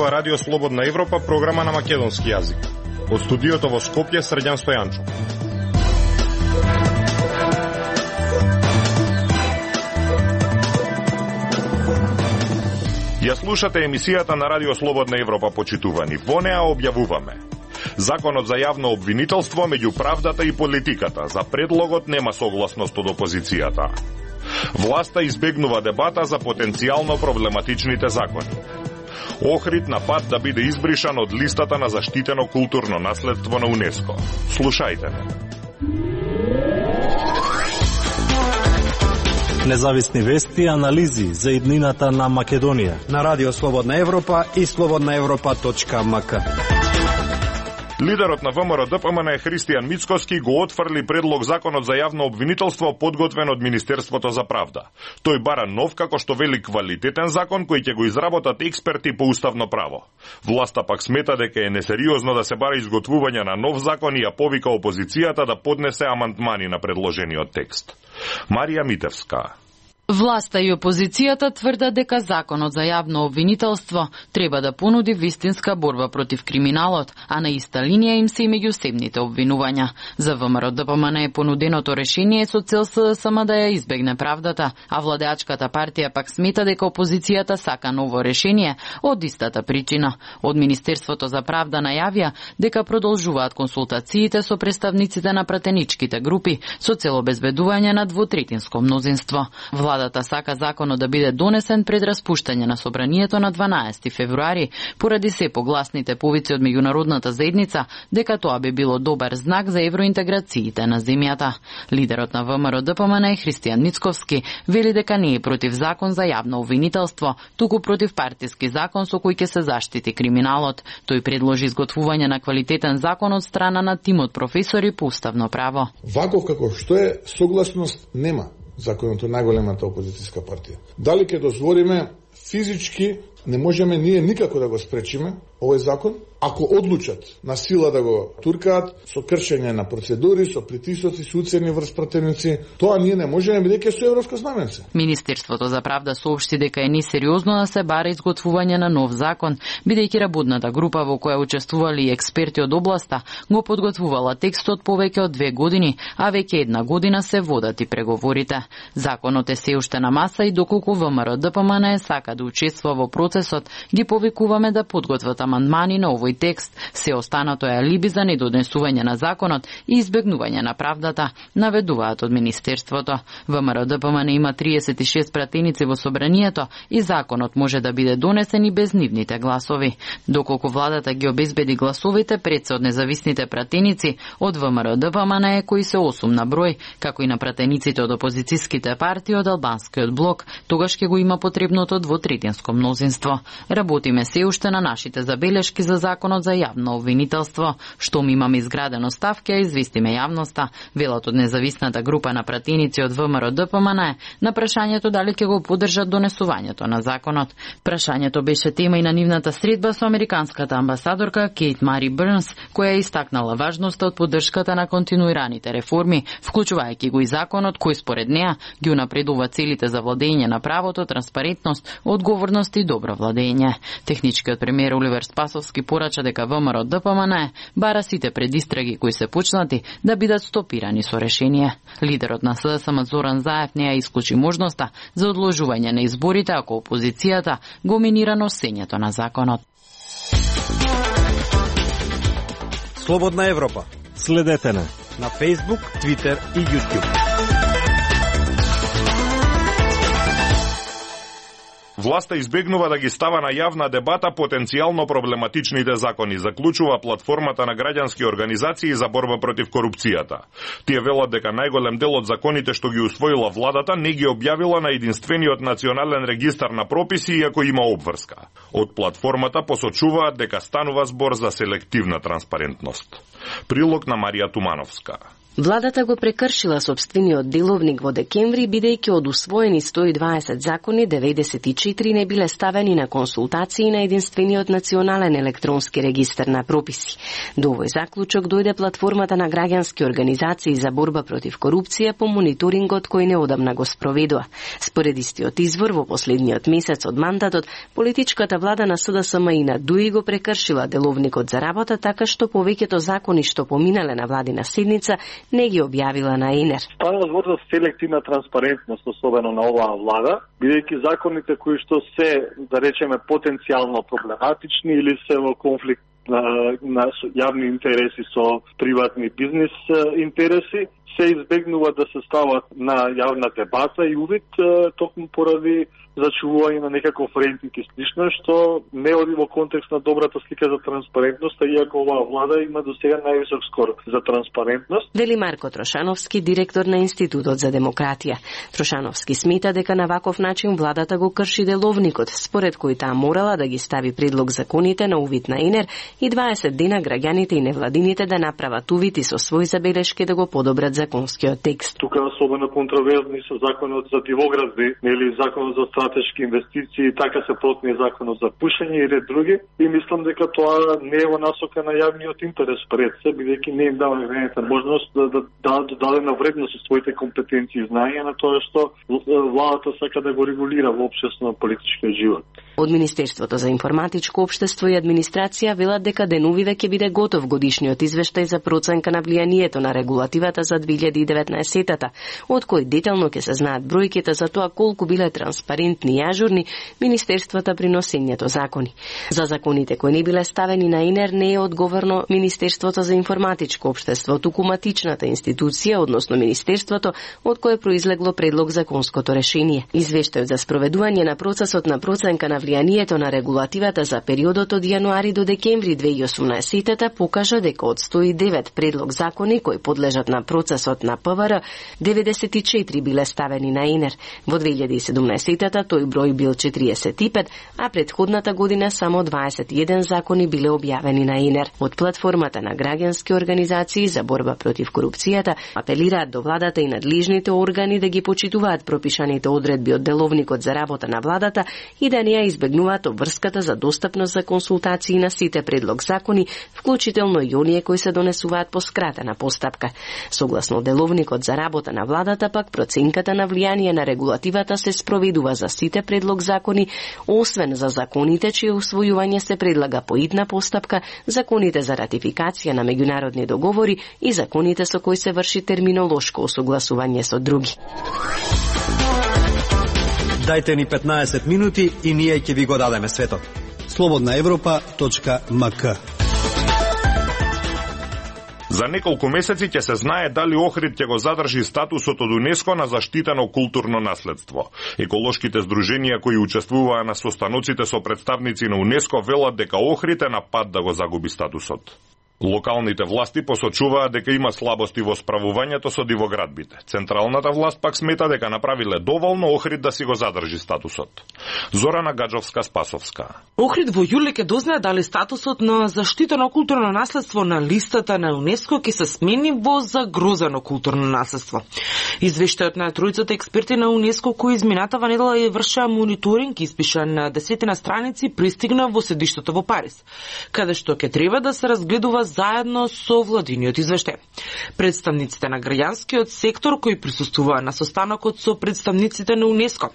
зборува Радио Слободна Европа, програма на македонски јазик. Од студиото во Скопје, Срđan Стојанчов. Ја слушате емисијата на Радио Слободна Европа, почитувани. Во неа објавуваме: Законот за јавно обвинителство меѓу правдата и политиката. За предлогот нема согласност од опозицијата. Власта избегнува дебата за потенцијално проблематичните закони. Охрид на пат да биде избришан од листата на заштитено културно наследство на УНЕСКО. Слушајте ме. Независни вести и анализи за иднината на Македонија на Радио Слободна Европа и slobodnaevropa.mk. Лидерот на ВМРО-ДПМН Христијан Мицкоски го отфрли предлог законот за јавно обвинителство подготвен од Министерството за правда. Тој бара нов, како што вели, квалитетен закон кој ќе го изработат експерти по уставно право. Власта пак смета дека е несериозно да се бара изготвување на нов закон и ја повика опозицијата да поднесе амандмани на предложениот текст. Марија Митевска. Власта и опозицијата тврдат дека законот за јавно обвинителство треба да понуди вистинска борба против криминалот, а на иста линија им се и меѓусебните обвинувања. За ВМРО-ДПМН е понуденото решение со цел СДСМ да ја избегне правдата, а владеачката партија пак смета дека опозицијата сака ново решение од истата причина. Од Министерството за правда најавија дека продолжуваат консултациите со представниците на пратеничките групи со цел обезбедување на двотретинско мнозинство. Владата сака законот да биде донесен пред распуштање на собранието на 12 февруари, поради се погласните повици од меѓународната заедница дека тоа би било добар знак за евроинтеграциите на земјата. Лидерот на ВМРО-ДПМН Христијан Мицковски вели дека не е против закон за јавно обвинителство, туку против партиски закон со кој ќе се заштити криминалот. Тој предложи изготвување на квалитетен закон од страна на тимот професори по уставно право. Ваков како што е согласност нема законот од најголемата опозицијска партија. Дали ќе дозволиме физички, не можеме ние никако да го спречиме овој закон, ако одлучат на сила да го туркаат со кршење на процедури, со притисоци, со уцени врз пратеници, тоа ние не можеме бидејќи со европско знаменце. Министерството за правда соопшти дека е несериозно да се бара изготвување на нов закон, бидејќи работната група во која учествували и експерти од областа го подготвувала текстот повеќе од 2 години, а веќе 1 година се водат и преговорите. Законот е се уште на маса и доколку ВМРО-ДПМН сака да учествува во процесот, ги повикуваме да подготват амандмани на овој текст. Се останато е алиби за недонесување на законот и избегнување на правдата, наведуваат од Министерството. ВМРО-ДПМН има 36 пратеници во собранието и законот може да биде донесен и без нивните гласови. Доколку владата ги обезбеди гласовите пред се од независните пратеници, од ВМРО-ДПМН кои се 8 на број, како и на пратениците од опозицијските партии од албанскиот блок, тогаш ќе го има потребното двотретинско мнозинство. Работиме се уште на нашите забелешки за законот за јавно обвинителство. Штом имаме изградено став, ќе известиме јавноста, велат од независната група на пратеници од ВМРО-ДПМН на прашањето дали ќе го поддржат донесувањето на законот. Прашањето беше тема и на нивната средба со американската амбасадорка Кейт Мари Бернс, која истакнала важноста од поддршката на континуираните реформи, вклучувајќи го и законот кој според неа ги унапредува целите за владење на правото, транспарентност, одговорност и добро владење. Техничкиот премиер Оливер Спасовски порача дека ВМРО-ДПМН бара сите предистраги кои се почнати да бидат стопирани со решение. Лидерот на СДСМ Зоран Заев не ја исклучи можноста за одложување на изборите ако опозицијата го минира носењето на законот. Слободна Европа. Следете на Facebook, Twitter и YouTube. Власта избегнува да ги става на јавна дебата потенцијално проблематичните закони, заклучува платформата на граѓански организации за борба против корупцијата. Тие велат дека најголем дел од законите што ги усвоила владата не ги објавила на единствениот национален регистар на прописи, иако има обврска. Од платформата посочуваат дека станува збор за селективна транспарентност. Прилог на Марија Тумановска. Владата го прекршила сопствениот деловник во декември, бидејќи од усвоени 120 закони, 94 не биле ставени на консултации на единствениот национален електронски регистар на прописи. До овој заклучок дојде платформата на граѓански организации за борба против корупција по мониторингот кој неодамна го спроведува. Според истиот извор, во последниот месец од мандатот, политичката влада на СДСМ и на ДУИ го прекршила деловникот за работа, така што повеќето закони што поминале на владина седница не ги објавила на ЕНЕР. Става збор за селективна транспарентност, особено на оваа влада, бидејќи законите кои што се, да речеме, потенцијално проблематични или се во конфликт на јавни интереси со приватни бизнес интереси, се избегнува да се стават на јавна дебата и увид токму поради зачувување на некаков рейтинг и слично, што не оди во контекст на добрата слика за транспарентност, иако оваа влада има до сега највисок скор за транспарентност. Вели Марко Трошановски, директор на Институтот за демократија. Трошановски смета дека на ваков начин владата го крши деловникот, според кој таа морала да ги стави предлог законите на увид на ЕНЕР и 20 дена граѓаните и невладините да направат увид и со своји забелешки да го подобрат законскиот текст. Тука особено контроверзни со законот за дивоградби, или законот за стратешки инвестиции, така се протни законот за пушење и ред други. И мислам дека тоа не е во насока на јавниот интерес пред се, бидејќи не им дава граѓаните можност да дадат додадена вредност со своите компетенции и знаења на тоа што владата сака да го регулира воопштество на политичкиот живот. Од Министерството за информатичко општество и администрација велат дека денувиве ќе биде готов годишниот извештај за проценка на влијанието на регулативата за 2019-та, од кој детално ќе се знаат бројките за тоа колку биле транспарентни и ажурни министерствата при носењето закони. За законите кои не биле ставени на ЕНЕР не е одговорно Министерството за информатичко општество, туку матичната институција, односно Министерството, од кое произлегло предлог законското решение. Извештајот за спроведување на процесот на проценка на влијанието на регулативата за периодот од јануари до декември 2018-та покажа дека од 109 предлог закони кои подлежат на процесот на ПВР, 94 биле ставени на ЕНЕР. Во 2017-та тој број бил 45, а предходната година само 21 закони биле објавени на ЕНЕР. Од платформата на граѓански организации за борба против корупцијата апелираат до владата и надлежните органи да ги почитуваат пропишаните одредби од деловникот за работа на владата и да не ја избегнуваат обврската за достапност за консултации на сите предлог закони, вклучително и оние кои се донесуваат по скратена постапка. Согласно деловникот за работа на владата, пак проценката на влијание на регулативата се спроведува за сите предлог закони, освен за законите чие усвојување се предлага по итна постапка, законите за ратификација на меѓународни договори и законите со кои се врши терминолошко осогласување со други. Дајте ни 15 минути и ние ќе ви го дадеме светот. slobodnaevropa.mk. За неколку месеци ќе се знае дали Охрид ќе го задржи статусот од УНЕСКО на заштитено културно наследство. Еколошките здруженија кои учествуваа на состаноците со представници на УНЕСКО велат дека Охрид е на пат да го загуби статусот. Локалните власти посочуваат дека има слабости во справувањето со дивоградбите. Централната власт пак смета дека направиле доволно Охрид да си го задржи статусот. Зорана Гаджовска-Спасовска. Охрид во јуле ќе дознае дали статусот на заштитено културно наследство на листата на УНЕСКО ќе се смени во загрозено културно наследство. Извештајот на тројцата експерти на УНЕСКО кои изминатава недела ја вршеа мониторинг испишан на 10 страници пристигна во седиштето во Париз, каде што ќе треба да се разгледува заедно со владиниот извештај. Представниците на граѓанскиот сектор кои присуствуваа на состанокот со представниците на УНЕСКО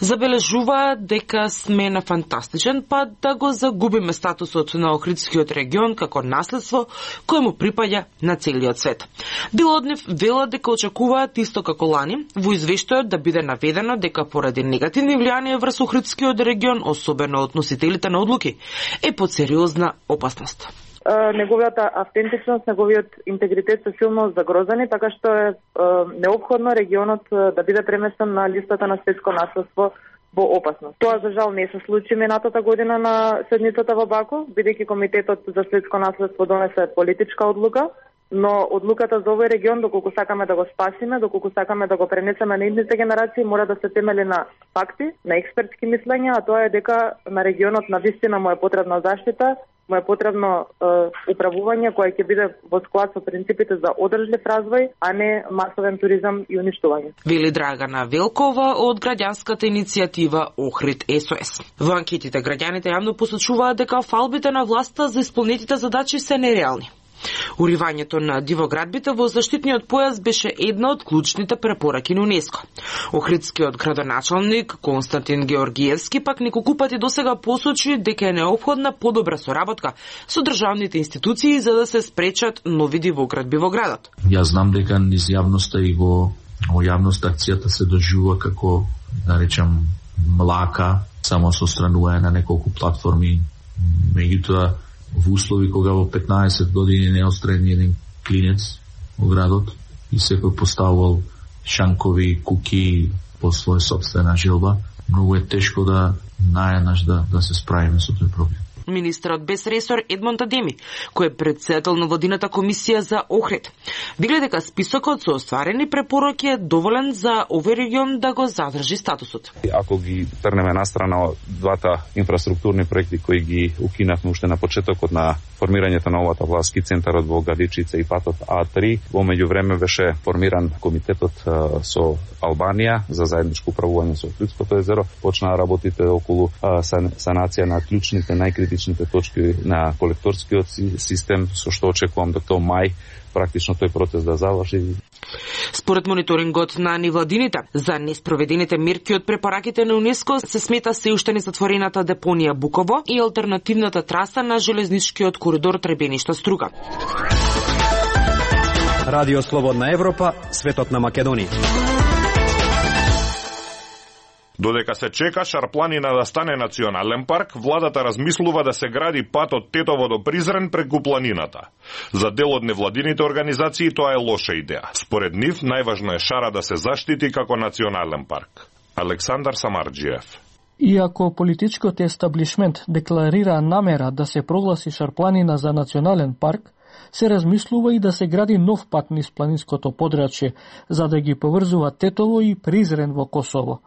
забележуваат дека сме на фантастичен пат да го загубиме статусот на Охридскиот регион како наследство кој му припаѓа на целиот свет. Дел од нив велат дека очекуваат исто како лани во извештајот да биде наведено дека поради негативни влијанија врз Охридскиот регион, особено од носителите на одлуки, е под сериозна опасност. Неговата автентичност, неговиот интегритет се силно загрозени, така што е неопходно регионот да биде преместен на листата на светско наследство во опасност. Тоа за жал не се случи минатата година на седницата во Баку, бидејќи Комитетот за светско наследство донесе политичка одлука, но одлуката за овој регион, доколку сакаме да го спасиме, доколку сакаме да го пренесеме на идните генерации, мора да се темели на факти, на експертски мислења, а тоа е дека на регионот на вистина му е потребна заштита му е потребно управување кое ќе биде во склад со принципите за одржлив развој, а не масовен туризам и уништување. Вели Драгана Велкова од граѓанската иницијатива Охрид СОС. Во анкетите граѓаните јавно посочуваат дека фалбите на власта за исполнетите задачи се нереални. Уривањето на дивоградбите во заштитниот појас беше една од клучните препораки на УНЕСКО. Охридскиот градоначалник Константин Георгиевски пак неколку пати досега посочи дека е неопходна подобра соработка со државните институции за да се спречат нови дивоградби во градот. Јас знам дека низ јавноста и во јавноста акцијата се доживува како, да речем, млака, само со странување на неколку платформи. Меѓутоа, во услови кога во 15 години не отстрани еден клинец во градот и секој поставувал шанкови, куки по своја сопствена желба, многу е тешко да најнаш да се справиме со тој проблем. Министерот без ресор Едмонд Адеми, кој е председател на владината комисија за Охрид, вели дека списокот со остварени препороки е доволен за овој регион да го задржи статусот. Ако ги трнеме настрана двата инфраструктурни проекти кои ги укинавме уште на почетокот на формирањето на овата власт, центарот во Гадичица и патот А3, во меѓувреме беше формиран комитетот со Албанија за заедничко управување со Охридското езеро, почнаа работите околу санација на клучните најкритичните точки на колекторскиот систем, со што очекувам до мај практично тој процес да заврши. Според мониторингот на невладините, за неспроведените мерки од препораките на УНЕСКО се смета се уште незатворената депонија Буково и алтернативната траса на железничкиот коридор Требеништа-Струга. Радио Слободна Европа, светот на Македонија. Додека се чека Шарпланина да стане национален парк, владата размислува да се гради пат од Тетово до Призрен преку планината. За дел од невладините организации тоа е лоша идеја. Според нив, најважно е Шара да се заштити како национален парк. Александар Самарджиев. Иако политичкиот естаблишмент декларира намера да се прогласи Шарпланина за национален парк, се размислува и да се гради нов пат низ планинското подрачје, за да ги поврзува Тетово и Призрен во Косово.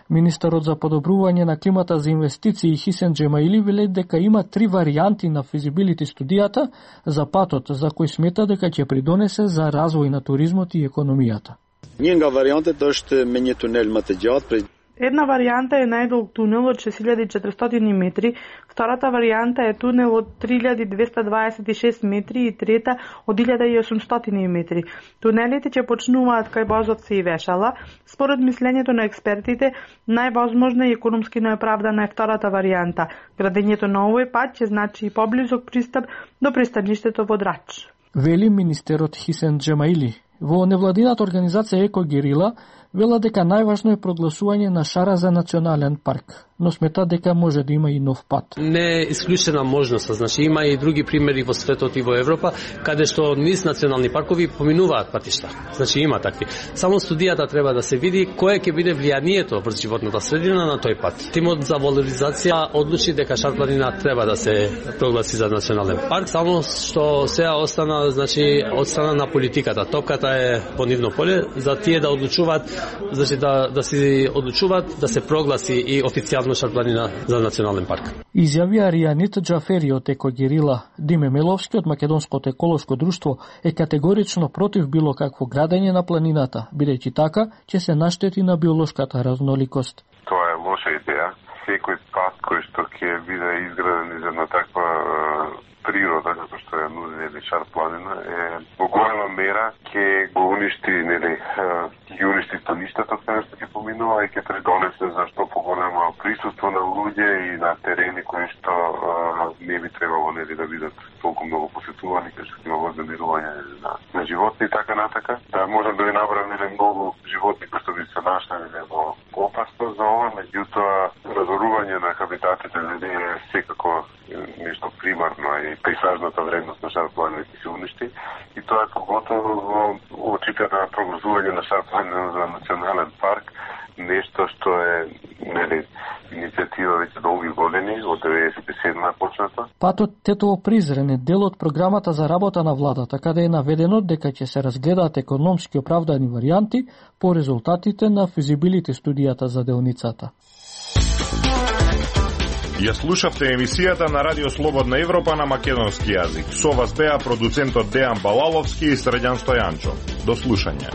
Министерот за подобрување на климата за инвестиции Хисен Джемаили вели дека има 3 варијанти на физибилити студијата за патот, за кој смета дека ќе придонесе за развој на туризмот и економијата. Një nga variantet është me një tunel më të gjatë. Една варијанта е најдолг тунел од 6400 метри, втората варијанта е тунел од 3226 метри и трета од 1800 метри. Тунелите ќе почнуваат кај Божовци и Вешала. Според мислењето на експертите, највозможна и економски неоправдана е втората варијанта. Градењето на овој пат ќе значи и поблизок пристап до пристаништето во Драч. Вели министерот Хисен Джемаили. Во невладината организација Еко Герила вела дека најважно е прогласување на Шара за национален парк, но смета дека може да има и нов пат. Не е исклучена можност, значи има и други примери во светот и во Европа, каде што низ национални паркови поминуваат патишта. Значи има такви. Само студијата треба да се види кое ќе биде влијанието врз животната средина на тој пат. Тимот за валоризација одлучи дека Шарпланина треба да се прогласи за национален парк, само што сега остана, значи, од страна на политиката. Топката е по нивно поле за тие да одлучуваат, значи да се одлучуваат да се прогласи и официјално Шарпланина за национален парк. Изјавија Ријанит Џафери од Еко Герила. Диме Меловски од Македонското еколошко друштво е категорично против било какво градење на планината, бидејќи така ќе се наштети на биолошката разноликост. Тоа е лоша идеја. Секој пат кој што ќе биде изграден за на таква природа, како што е нуди Шарпланина, е во голема мера ќе го уништи, ќе уништи стаништата каде што ќе поминува и ќе придонесе за што поголемо присуство на луѓе и на терени кои што не би требало да бидат толку многу посетувани, кај што има возбудување на животни и така натака. Да можам да ви набрам многу животни кои што би се нашли во опасност за ова, меѓутоа разорување на хабитатите е секако нешто примарно и пейзажната вредност на Шарпланина ќе се уништи и тоа е поготово во очите на прогласување на Шарпланина за национален парк, нешто што е иницијатива веќе долги години, од 97 почната. Патот Тетово Призрен е дел од програмата за работа на владата, каде е наведено дека ќе се разгледаат економски оправдани варијанти по резултатите на физибилити студијата за делницата. Ја слушавте емисијата на Радио Слободна Европа на македонски јазик. Со вас беа продуцентот Дејан Балаловски и Средјан Стојанчо. До слушање.